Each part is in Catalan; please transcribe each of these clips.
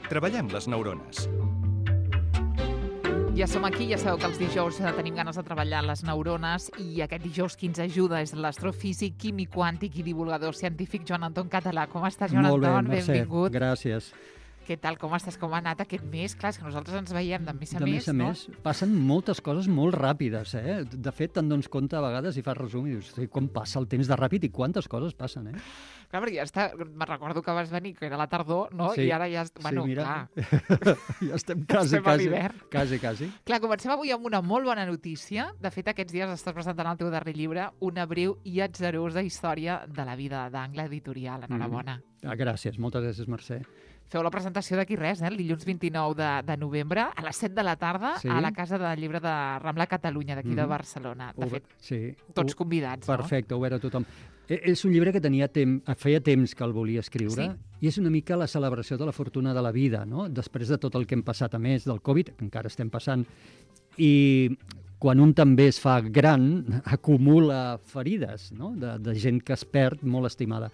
Treballem les neurones. Ja som aquí, ja sabeu que els dijous tenim ganes de treballar les neurones i aquest dijous qui ens ajuda és l'astrofísic, químic quàntic i divulgador científic Joan Anton Català. Com estàs, Joan Anton? Molt bé, Mercè. Benvingut. Gràcies. Què tal, com estàs? Com ha anat aquest mes? Clar, és que nosaltres ens veiem de mes a De mes, mes a mes, passen moltes coses molt ràpides, eh? De fet, te'n dones compte a vegades i fas resum i dius, com passa el temps de ràpid i quantes coses passen, eh? Clar, perquè ja està, me'n recordo que vas venir, que era la tardor, no? Sí. I ara ja... Bueno, sí, mira, clar. ja estem quasi. Estem a l'hivern. Quasi. Clar, comencem avui amb una molt bona notícia. De fet, aquests dies estàs presentant el teu darrer llibre, una breu i atzarosa història de la vida d'Angle Editorial. Enhorabona. Gràcies, moltes gràcies, Mercè. Feu la presentació d'aquí res, el dilluns 29 de novembre, a les 7 de la tarda, Sí. a la Casa del Llibre de Rambla Catalunya, d'aquí de Barcelona. De fet, sí. tots convidats, Perfecte, obert a tothom. És un llibre que feia temps que el volia escriure, i és una mica la celebració de la fortuna de la vida, no? Després de tot el que hem passat, a més del Covid, que encara estem passant, i quan un també es fa gran, acumula ferides, no? De gent que es perd molt estimada.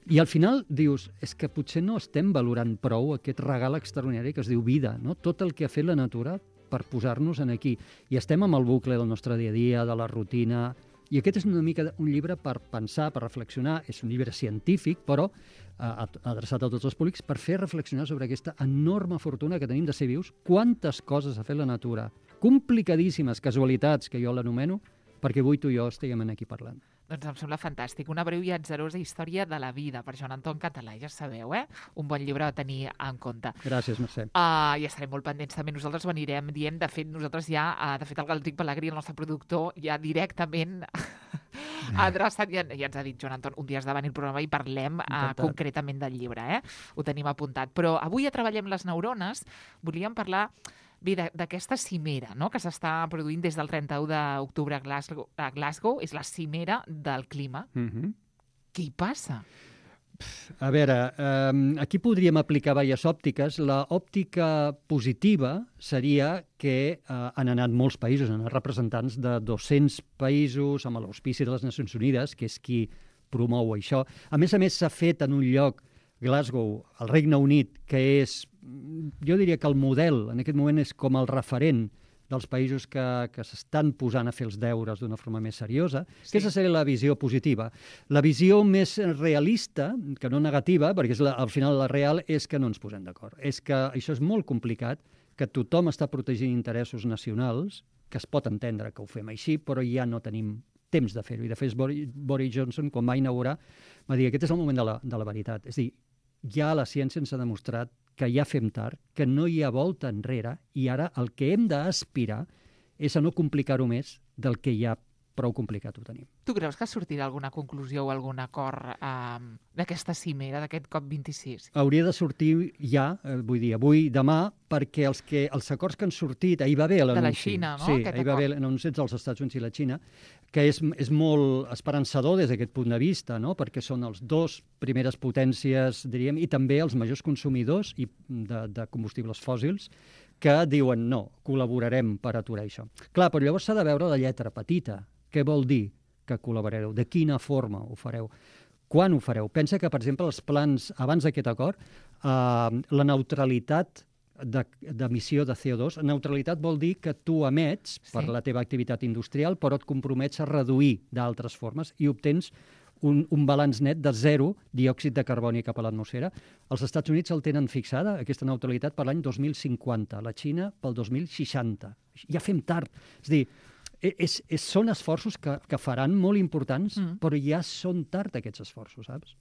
I al final dius, és que potser no estem valorant prou aquest regal extraordinari que es diu vida, no? Tot el que ha fet la natura per posar-nos aquí. I estem amb el bucle del nostre dia a dia, de la rutina, i aquest és una mica un llibre per pensar, per reflexionar. És un llibre científic, però adreçat a tots els públics, per fer reflexionar sobre aquesta enorme fortuna que tenim de ser vius, quantes coses ha fet la natura, complicadíssimes casualitats, que jo l'anomeno, perquè avui tu i jo estiguem aquí parlant. Doncs em sembla fantàstic. Una breu i atzarosa història de la vida, per Joan Anton Català, ja sabeu, Un bon llibre a tenir en compte. Gràcies, Mercè. Ja estarem molt pendents també. Nosaltres ho anirem dient. De fet, nosaltres ja, el Galdric Pellegrí, el nostre productor, ja directament ha adreçat, ja ens ha dit, Joan Anton, un dia has de venir al programa i parlem concretament del llibre, Ho tenim apuntat. Però avui ja treballem les neurones. Volíem parlar d'aquesta cimera, no?, que s'està produint des del 31 d'octubre a Glasgow. És la cimera del clima. Què hi passa? A veure, aquí podríem aplicar diverses òptiques. L'òptica positiva seria que han anat molts països, han anat representants de 200 països amb l'auspici de les Nacions Unides, que és qui promou això. A més, s'ha fet en un lloc, Glasgow, al Regne Unit, que és, jo diria que el model, en aquest moment és com el referent dels països que s'estan posant a fer els deures d'una forma més seriosa. Aquesta seria la visió positiva. La visió més realista, que no negativa, perquè al final la real, és que no ens posem d'acord. És que això és molt complicat, que tothom està protegint interessos nacionals, que es pot entendre que ho fem així, però ja no tenim temps de fer-ho. I de fet, Boris Johnson, quan va inaugurar, va dir que aquest és el moment de la veritat. És a dir, ja la ciència ens ha demostrat que ja fem tard, que no hi ha volta enrere, i ara el que hem d'aspirar és a no complicar-ho més del que ja prou complicat ho tenim. Tu creus que sortirà alguna conclusió o algun acord d'aquesta cimera, d'aquest COP26? Hauria de sortir ja, vull dir, avui, demà, perquè els acords que han sortit, ahir va haver l'anunci. De la Xina, no? Sí, ahir va haver l'anunci dels Estats Units i la Xina, que és molt esperançador des d'aquest punt de vista, no? Perquè són els dos primeres potències, diríem, i també els majors consumidors de combustibles fòssils, que diuen no, col·laborarem per aturar això. Clar, però llavors s'ha de veure la lletra petita. Què vol dir que col·laborareu? De quina forma ho fareu? Quan ho fareu? Pensa que, per exemple, els plans, abans d'aquest acord, la neutralitat d'emissió de CO2, neutralitat vol dir que tu emets per la teva activitat industrial, però et compromets a reduir d'altres formes i obtens un balanç net de 0 diòxid de carboni cap a l'atmosfera. Els Estats Units el tenen fixada, aquesta neutralitat, per l'any 2050, la Xina pel 2060. Ja fem tard. És a dir, són esforços que faran molt importants, però ja són tard aquests esforços, saps?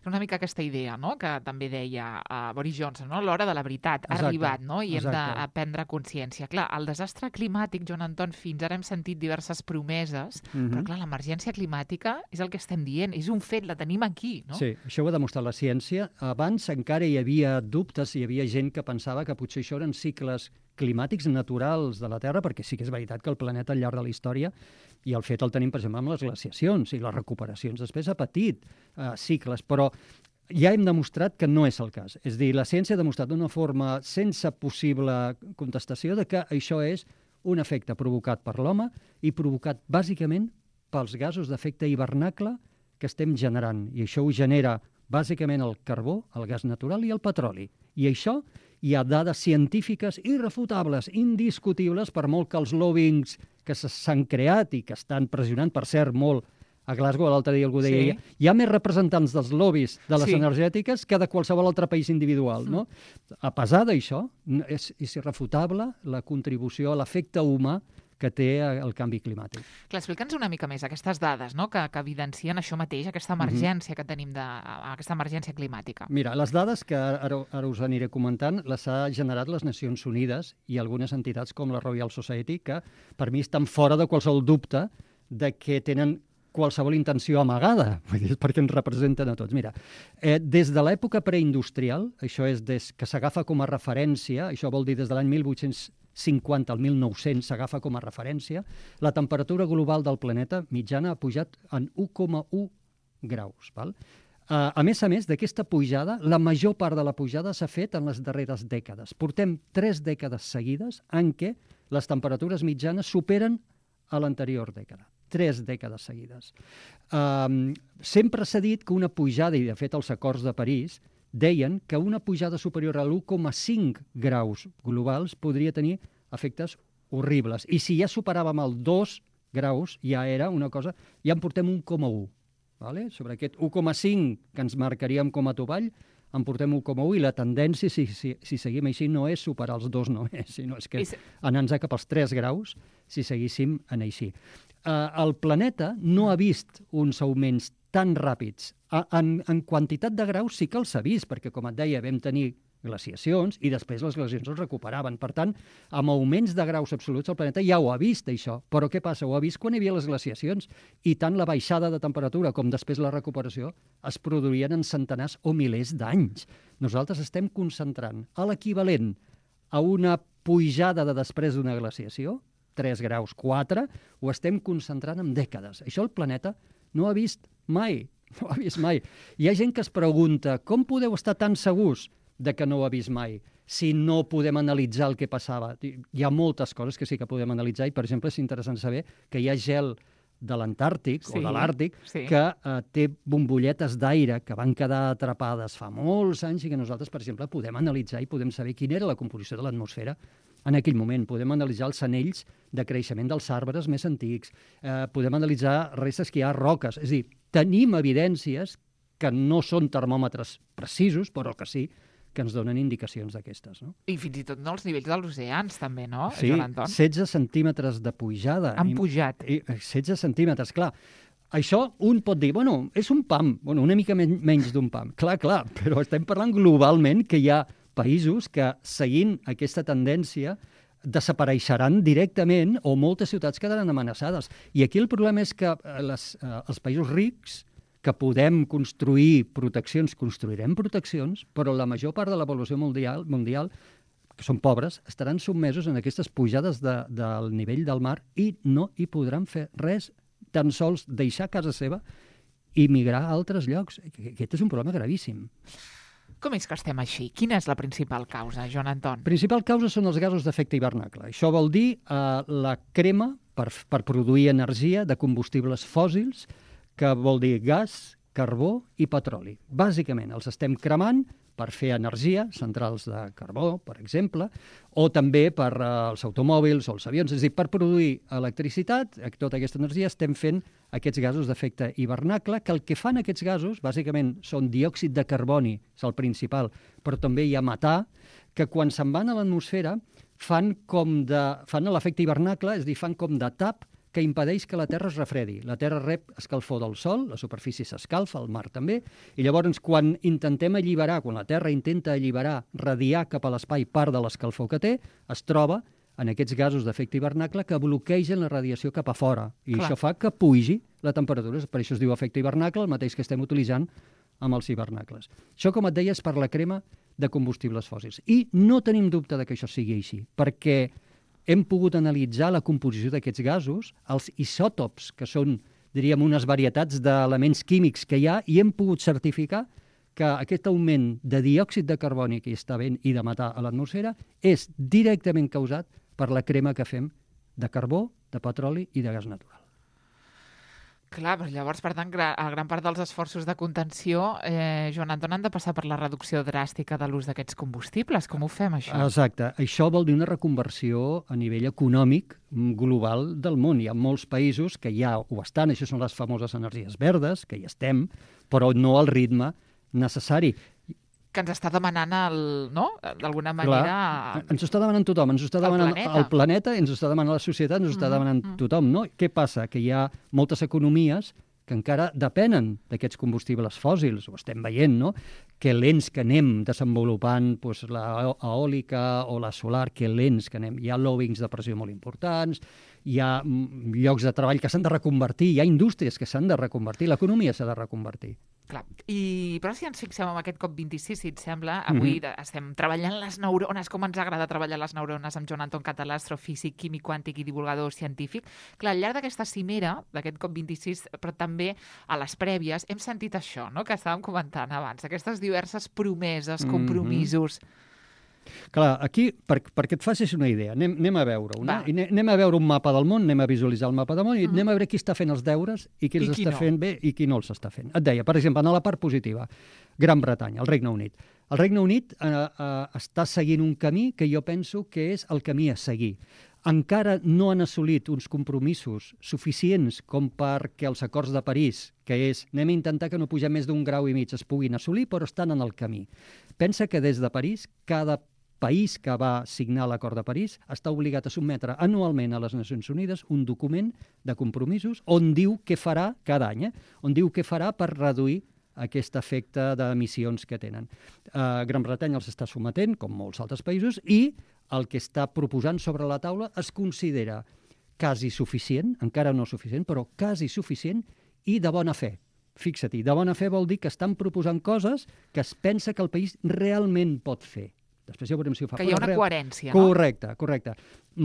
Una mica aquesta idea, no?, que també deia Boris Johnson, no?, l'hora de la veritat ha arribat, no?, i hem de prendre consciència. Clar, el desastre climàtic, Joan Anton, fins ara hem sentit diverses promeses, però clar, l'emergència climàtica és el que estem dient, és un fet, la tenim aquí, no? Sí, això ho ha demostrat la ciència. Abans encara hi havia dubtes, hi havia gent que pensava que potser això eren cicles climàtics naturals de la Terra, perquè sí que és veritat que el planeta al llarg de la història, i el fet el tenim, per exemple, amb les glaciacions i les recuperacions, després ha patit cicles, però ja hem demostrat que no és el cas. És a dir, la ciència ha demostrat d'una forma sense possible contestació de que això és un efecte provocat per l'home i provocat bàsicament pels gasos d'efecte hivernacle que estem generant. I això ho genera bàsicament el carbó, el gas natural i el petroli. I això hi ha dades científiques irrefutables, indiscutibles, per molt que els lobbyings que s'han creat i que estan pressionant, per cert, molt a Glasgow, l'altre dia algú deia, hi ha més representants dels lobbies de les energètiques que de qualsevol altre país individual. No? A pesar d'això, és irrefutable la contribució a l'efecte humà que té el canvi climàtic. Clar, explica'ns una mica més aquestes dades, no? que evidencien això mateix, aquesta emergència que tenim, aquesta emergència climàtica. Mira, les dades que ara us aniré comentant les ha generat les Nacions Unides i algunes entitats com la Royal Society, que per mi estan fora de qualsevol dubte de que tenen qualsevol intenció amagada, perquè ens representen a tots. Mira, des de l'època preindustrial, això és des que s'agafa com a referència, això vol dir des de l'any 1850 al 1900 s'agafa com a referència, la temperatura global del planeta mitjana ha pujat en 1,1 graus. Val? A més, d'aquesta pujada, la major part de la pujada s'ha fet en les darreres dècades. Portem 3 dècades seguides en què les temperatures mitjanes superen a l'anterior dècada. 3 dècades seguides. Sempre s'ha dit que una pujada, i de fet els acords de París deien que una pujada superior a l'1,5 graus globals podria tenir efectes horribles. I si ja superàvem el 2 graus, ja era una cosa... Ja en portem 1,1. Vale? Sobre aquest 1,5 que ens marcaríem com a topall, en portem 1,1 i la tendència, si seguim així, no és superar els 2, no és, sinó és que anar-nos cap als 3 graus si seguíssim en així. El planeta no ha vist uns augments tan ràpids. En quantitat de graus sí que els ha vist, perquè, com et deia, vam tenir glaciacions i després les glaciacions es recuperaven. Per tant, amb augments de graus absoluts el planeta ja ho ha vist, això. Però què passa? Ho ha vist quan hi havia les glaciacions i tant la baixada de temperatura com després la recuperació es produirien en centenars o milers d'anys. Nosaltres estem concentrant a l'equivalent a una pujada de després d'una glaciació, 3 graus, 4, ho estem concentrant en dècades. Això el planeta no ha vist mai. No ho ha vist mai. Hi ha gent que es pregunta com podeu estar tan segurs de que no ho ha vist mai si no podem analitzar el que passava. Hi ha moltes coses que sí que podem analitzar i, per exemple, és interessant saber que hi ha gel de l'Antàrtic o de l'Àrtic que té bombolletes d'aire que van quedar atrapades fa molts anys i que nosaltres, per exemple, podem analitzar i podem saber quina era la composició de l'atmosfera en aquell moment. Podem analitzar els anells de creixement dels arbres més antics, podem analitzar restes que hi ha roques. És a dir, tenim evidències que no són termòmetres precisos, però que sí que ens donen indicacions d'aquestes. No? I fins i tot els nivells dels oceans, també, no, sí, Joan Anton? 16 centímetres de pujada. Han pujat. 16 centímetres, clar. Això un pot dir, bueno, és un pam, bueno, una mica menys d'un pam. Clar, però estem parlant globalment que hi ha països que, seguint aquesta tendència, desapareixeran directament o moltes ciutats quedaran amenaçades. I aquí el problema és que els països rics que podem construir proteccions, construirem proteccions, però la major part de la població mundial, que són pobres, estaran sotmesos en aquestes pujades del nivell del mar i no hi podran fer res, tan sols deixar casa seva i migrar a altres llocs. Aquest és un problema gravíssim. Com és que estem així? Quina és la principal causa, Joan Anton? La principal causa són els gasos d'efecte hivernacle. Això vol dir la crema per produir energia de combustibles fòssils, que vol dir gas, carbó i petroli. Bàsicament, els estem cremant per fer energia, centrals de carbó, per exemple, o també per els automòbils o els avions. És a dir, per produir electricitat, tota aquesta energia, estem fent aquests gasos d'efecte hivernacle, que el que fan aquests gasos, bàsicament, són diòxid de carboni, és el principal, però també hi ha metà, que quan se'n van a l'atmosfera fan l'efecte hivernacle, és a dir, fan com de tap que impedeix que la Terra es refredi. La Terra rep escalfor del Sol, la superfície s'escalfa, el mar també, i llavors quan intentem alliberar, quan la Terra intenta alliberar, radiar cap a l'espai part de l'escalfor que té, es troba en aquests gasos d'efecte hivernacle que bloquegen la radiació cap a fora. I això fa que pugi la temperatura. Per això es diu efecte hivernacle, el mateix que estem utilitzant amb els hivernacles. Això, com et deia, és per la crema de combustibles fòssils. I no tenim dubte de que això sigui així, perquè hem pogut analitzar la composició d'aquests gasos, els isòtops, que són, diríem, unes varietats d'elements químics que hi ha, i hem pogut certificar que aquest augment de diòxid de carboni que hi està havent i de metà a l'atmosfera és directament causat per la crema que fem de carbó, de petroli i de gas natural. Clar, però llavors, per tant, gran part dels esforços de contenció, Joan Anton, han de passar per la reducció dràstica de l'ús d'aquests combustibles. Com ho fem, això? Exacte. Això vol dir una reconversió a nivell econòmic global del món. Hi ha molts països que ja ho estan, això són les famoses energies verdes, que hi estem, però no al ritme necessari. Que ens està demanant, no? D'alguna manera... Clar, ens ho està demanant tothom, ens ho està demanant el planeta, ens ho està demanant la societat, ens ho està demanant tothom, no? Què passa? Que hi ha moltes economies que encara depenen d'aquests combustibles fòssils, ho estem veient, no? Que lents que anem desenvolupant doncs, l'eòlica o la solar, que lents que anem. Hi ha lobbyings de pressió molt importants, hi ha llocs de treball que s'han de reconvertir, hi ha indústries que s'han de reconvertir, l'economia s'ha de reconvertir. Clar. Però si ens fixem en aquest COP26, si et sembla, avui estem treballant les neurones, com ens agrada treballar les neurones amb Joan Anton Català, astrofísic, químic quàntic i divulgador científic. Clar, al llarg d'aquesta cimera, d'aquest COP26, però també a les prèvies, hem sentit això, no?, que estàvem comentant abans, aquestes diverses promeses, compromisos... Clar, aquí, perquè et facis una idea, anem a veure-ho, no? Anem a veure un mapa del món, anem a visualitzar el mapa del món i anem a veure qui està fent els deures i qui els està fent bé i qui no els està fent. Et deia, per exemple, en la part positiva, Gran Bretanya, el Regne Unit. El Regne Unit està seguint un camí que jo penso que és el camí a seguir. Encara no han assolit uns compromisos suficients com perquè els acords de París, que és anem a intentar que no pugem més d'1,5 graus, es puguin assolir, però estan en el camí. Pensa que des de París, cada país que va signar l'acord de París està obligat a sotmetre anualment a les Nacions Unides un document de compromisos on diu què farà cada any, on diu què farà per reduir aquest efecte d'emissions que tenen. Gran Bretanya els està sometent, com molts altres països, i el que està proposant sobre la taula es considera quasi suficient, encara no suficient, però quasi suficient i de bona fe. Fixa-t'hi, de bona fe vol dir que estan proposant coses que es pensa que el país realment pot fer. Després ja veurem si ho fa. Que hi ha una coherència, no? Correcte.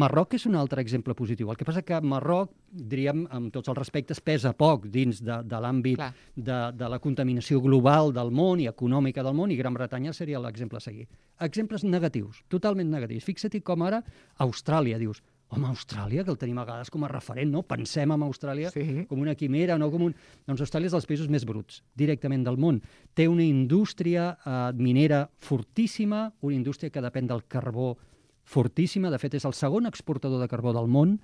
Marroc és un altre exemple positiu. El que passa que Marroc, diríem, amb tots els respectes, pesa poc dins de l'àmbit de la contaminació global del món i econòmica del món, i Gran Bretanya seria l'exemple a seguir. Exemples negatius, totalment negatius. Fixa-t'hi com ara Austràlia, dius, home, Austràlia, que el tenim a vegades com a referent, no? Pensem en Austràlia com una quimera, no com un... Doncs Austràlia és dels països més bruts, directament del món. Té una indústria minera fortíssima, una indústria que depèn del carbó fortíssima. De fet, és el segon exportador de carbó del món.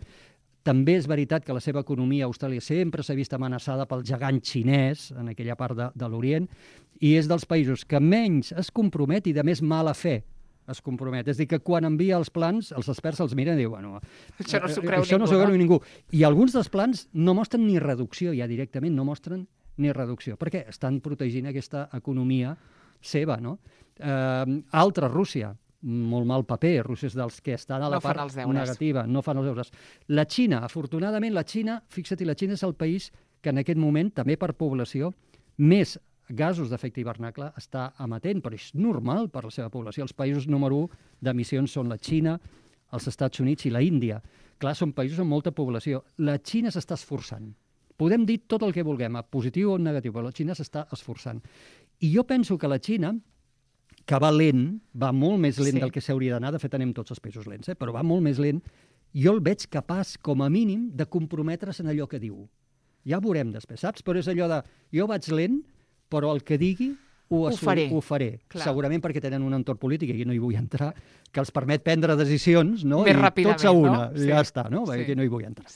També és veritat que la seva economia a Austràlia sempre s'ha vist amenaçada pel gegant xinès, en aquella part de l'Orient, i és dels països que menys es compromet i de més mala fe es compromet. És a dir, que quan envia els plans, els experts els miren i diuen, bueno, això no s'ho creu això no s'ho creu ningú. I alguns dels plans no mostren ni reducció, ja directament no mostren ni reducció, perquè estan protegint aquesta economia seva, no? Altra, Rússia, molt mal paper, Rússia és dels que estan a la part negativa, no fan els deures. La Xina, afortunadament, fixa't, la Xina és el país que en aquest moment, també per població, més gasos d'efecte hivernacle està emetent, però és normal per la seva població. Els països número 1 d'emissions són la Xina, els Estats Units i la Índia. Clar, són països amb molta població. La Xina s'està esforçant. Podem dir tot el que vulguem, positiu o negatiu, però la Xina s'està esforçant. I jo penso que la Xina, que va lent, va molt més lent del que s'hauria d'anar, de fet anem tots els països lents, però va molt més lent, jo el veig capaç, com a mínim, de comprometre's en allò que diu. Ja ho veurem després, saps? Però és allò de, jo vaig lent, però el que digui ho faré. Segurament perquè tenen un entorn polític, i aquí no hi vull entrar, que els permet prendre decisions, no? Més ràpidament, tots a una, no? Ja està, no? Aquí no hi vull entrar.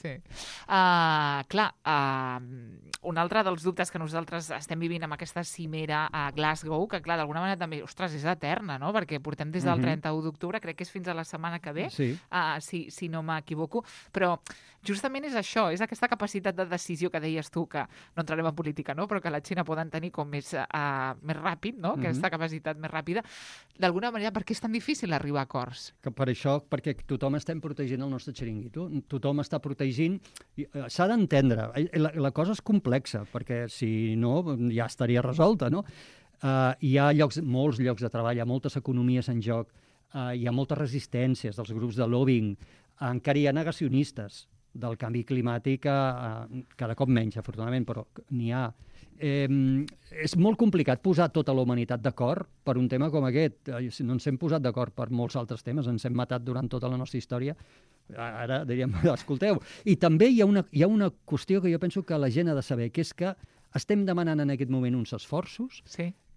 Un altre dels dubtes que nosaltres estem vivint amb aquesta cimera a Glasgow, que clar, d'alguna manera també, ostres, és eterna, no? Perquè portem des del 31 d'octubre, crec que és fins a la setmana que ve, si no m'equivoco, però justament és això, és aquesta capacitat de decisió que deies tu, que no entrarem en política, no? Però que la Xina poden tenir com més ràpid, no? Aquesta capacitat més ràpida. D'alguna manera, per què és tan difícil arribar a acords? Per això, perquè tothom estem protegint el nostre xiringuito, tothom està protegint, s'ha d'entendre, la cosa és complexa, perquè si no ja estaria resolta, no? Hi ha molts llocs de treball, hi ha moltes economies en joc, hi ha moltes resistències dels grups de lobbying, encara hi ha negacionistes del canvi climàtic, cada cop menys, afortunadament, però n'hi ha. És molt complicat posar tota la humanitat d'acord per un tema com aquest. No ens hem posat d'acord per molts altres temes, ens hem matat durant tota la nostra història Ara diríem, escolteu. I també hi ha una qüestió que jo penso que la gent ha de saber, que és que estem demanant en aquest moment uns esforços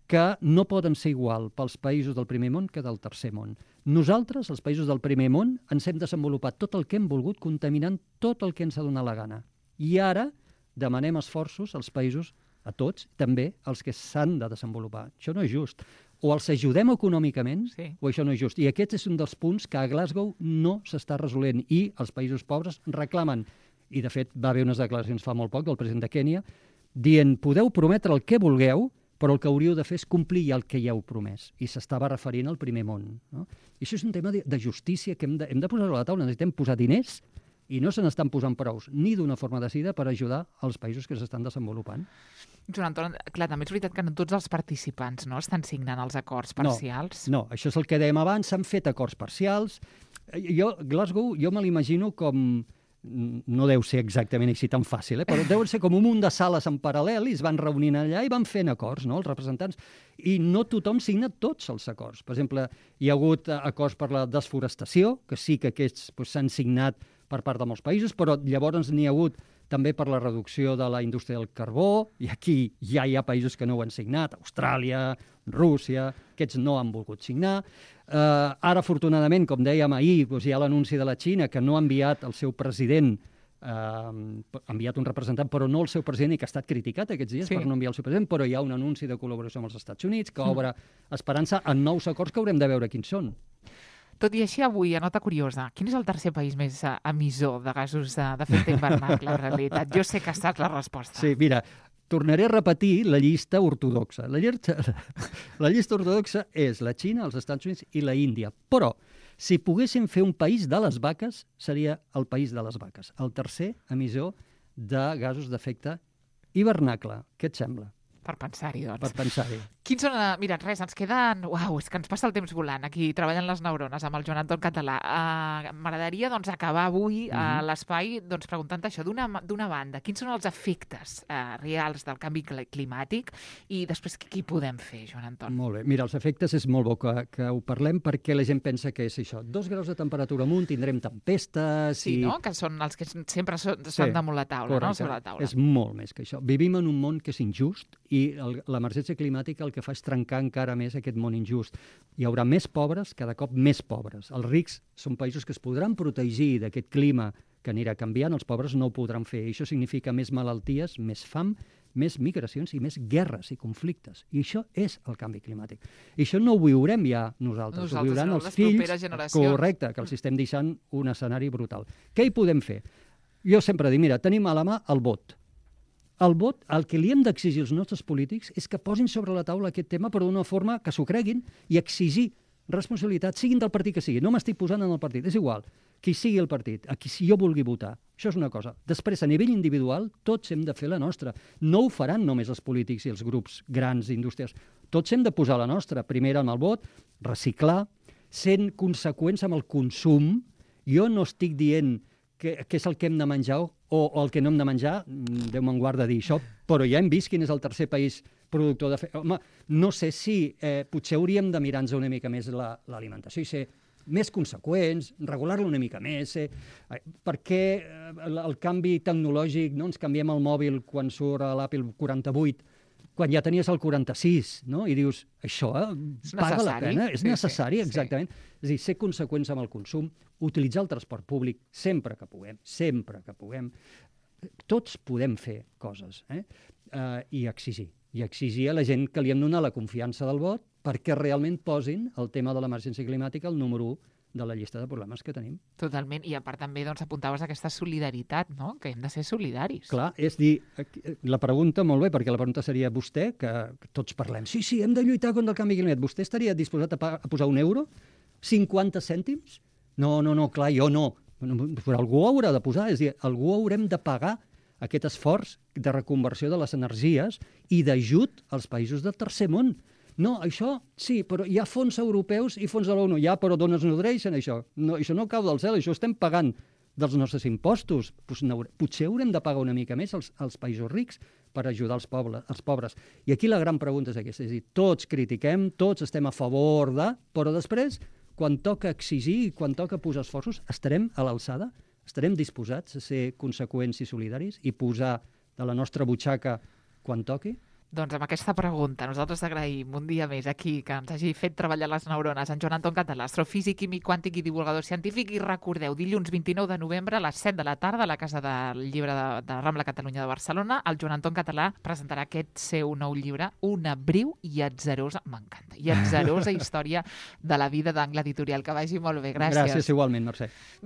que no poden ser igual pels països del primer món que del tercer món. Nosaltres, els països del primer món, ens hem desenvolupat tot el que hem volgut, contaminant tot el que ens ha donat la gana. I ara demanem esforços als països, a tots, també als que s'han de desenvolupar. Això no és just. O els ajudem econòmicament, o això no és just. I aquest és un dels punts que a Glasgow no s'està resolent. I els països pobres reclamen, i de fet va haver unes declaracions fa molt poc del president de Kènia, dient, podeu prometre el que vulgueu, però el que hauríeu de fer és complir el que ja heu promès. I s'estava referint al primer món. No? I això és un tema de justícia que hem de posar-ho a la taula. Necessitem posar diners i no se n'estan posant prous, ni d'una forma decidida, per ajudar als països que s'estan desenvolupant. Joan Anton, clar, també és veritat que no tots els participants estan signant els acords parcials. No, això és el que dèiem abans, s'han fet acords parcials. Glasgow, jo me l'imagino com... No deu ser exactament així tan fàcil, però deuen ser com un munt de sales en paral·lel i es van reunint allà i van fent acords, no?, els representants. I no tothom signa tots els acords. Per exemple, hi ha hagut acords per la desforestació, que sí que aquests s'han signat per part de molts països, però llavors n'hi ha hagut també per la reducció de la indústria del carbó, i aquí ja hi ha països que no ho han signat, Austràlia, Rússia, aquests no han volgut signar. Ara, afortunadament, com dèiem ahir, hi ha l'anunci de la Xina que no ha enviat el seu president, ha enviat un representant, però no el seu president, i que ha estat criticat aquests dies per no enviar el seu president, però hi ha un anunci de col·laboració amb els Estats Units que obre esperança en nous acords que haurem de veure quins són. Tot i així, avui, a nota curiosa, quin és el tercer país més emissor de gasos d'efecte hivernacle, en realitat? Jo sé que ha estat la resposta. Sí, mira, tornaré a repetir la llista ortodoxa. La llista ortodoxa és la Xina, els Estats Units i la Índia. Però, si poguéssim fer un país de les vaques, seria el país de les vaques. El tercer emissor de gasos d'efecte hivernacle. Què et sembla? Per pensar-hi, doncs. Per pensar-hi. Quins són... Mira, res, ens queden... Uau, és que ens passa el temps volant, aquí treballen les neurones amb el Joan Anton Català. M'agradaria, doncs, acabar avui a l'espai preguntant això. D'una banda, quins són els efectes reals del canvi climàtic i després què hi podem fer, Joan Anton? Molt bé. Mira, els efectes és molt bo que ho parlem perquè la gent pensa que és això. 2 graus de temperatura amunt, tindrem tempestes... Sí, no? Que són els que sempre són damunt la taula, no? Sobre la taula. És molt més que això. Vivim en un món que és injust i l'emergència climàtica el que fa és trencar encara més aquest món injust. Hi haurà més pobres, cada cop més pobres. Els rics són països que es podran protegir d'aquest clima que anirà canviant, els pobres no ho podran fer. I això significa més malalties, més fam, més migracions i més guerres i conflictes. I això és el canvi climàtic. I això no ho viurem ja nosaltres ho viuran els fills. Correcte, que els estem deixant un escenari brutal. Què hi podem fer? Jo sempre dic, mira, tenim a la mà el vot. El vot, el que li hem d'exigir als nostres polítics és que posin sobre la taula aquest tema, però d'una forma que s'ho creguin i exigir responsabilitat, siguin del partit que sigui. No m'estic posant en el partit, és igual. Qui sigui el partit, a qui jo vulgui votar. Això és una cosa. Després, a nivell individual, tots hem de fer la nostra. No ho faran només els polítics i els grups grans indústries. Tots hem de posar la nostra. Primer amb el vot, reciclar, sent conseqüents amb el consum. Jo no estic dient què és el que hem de menjar o el que no hem de menjar, Déu me'n guarda dir això, però ja hem vist quin és el tercer país productor de... Home, no sé si potser hauríem de mirar-nos una mica més l'alimentació i ser més conseqüents, regular-lo una mica més, perquè el canvi tecnològic, no ens canviem el mòbil quan surt l'Apple 48, quan ja tenies el 46, no? I dius, això paga la pena? És necessari, exactament. És a dir, ser conseqüents amb el consum, utilitzar el transport públic sempre que puguem, Tots podem fer coses, i exigir a la gent que li hem donat la confiança del vot perquè realment posin el tema de l'emergència climàtica al número 1 de la llista de problemes que tenim. Totalment, i a part també apuntaves aquesta solidaritat, no? Que hem de ser solidaris. Clar, és dir, la pregunta, molt bé, perquè la pregunta seria vostè, que tots parlem, sí, hem de lluitar contra el canvi climàtic, vostè estaria disposat a posar €1? 50 cèntims? No, clar, jo no. Però algú haurà de posar, és a dir, algú haurem de pagar aquest esforç de reconversió de les energies i d'ajut als països del tercer món. No, això sí, però hi ha fons europeus i fons de l'ONU. Ja, però d'on es nodreixen, això? No, això no cau del cel, això estem pagant dels nostres impostos. Potser haurem de pagar una mica més als països rics per ajudar els pobres. I aquí la gran pregunta és aquesta, és a dir, tots critiquem, tots estem a favor de, però després, quan toca exigir i quan toca posar esforços, estarem a l'alçada? Estarem disposats a ser conseqüents i solidaris i posar de la nostra butxaca quan toqui? Doncs amb aquesta pregunta, nosaltres agraïm un dia més aquí que ens hagi fet treballar les neurones en Joan Anton Català, astrofísic, químic quàntic i divulgador científic. I recordeu, dilluns 29 de novembre a les 7 de la tarda a la Casa del Llibre de Rambla Catalunya de Barcelona, el Joan Anton Català presentarà aquest seu nou llibre, Una breu i atzarosa, m'encanta, i atzarosa història de la vida d'Angle Editorial. Que vagi molt bé. Gràcies. Gràcies igualment, Mercè.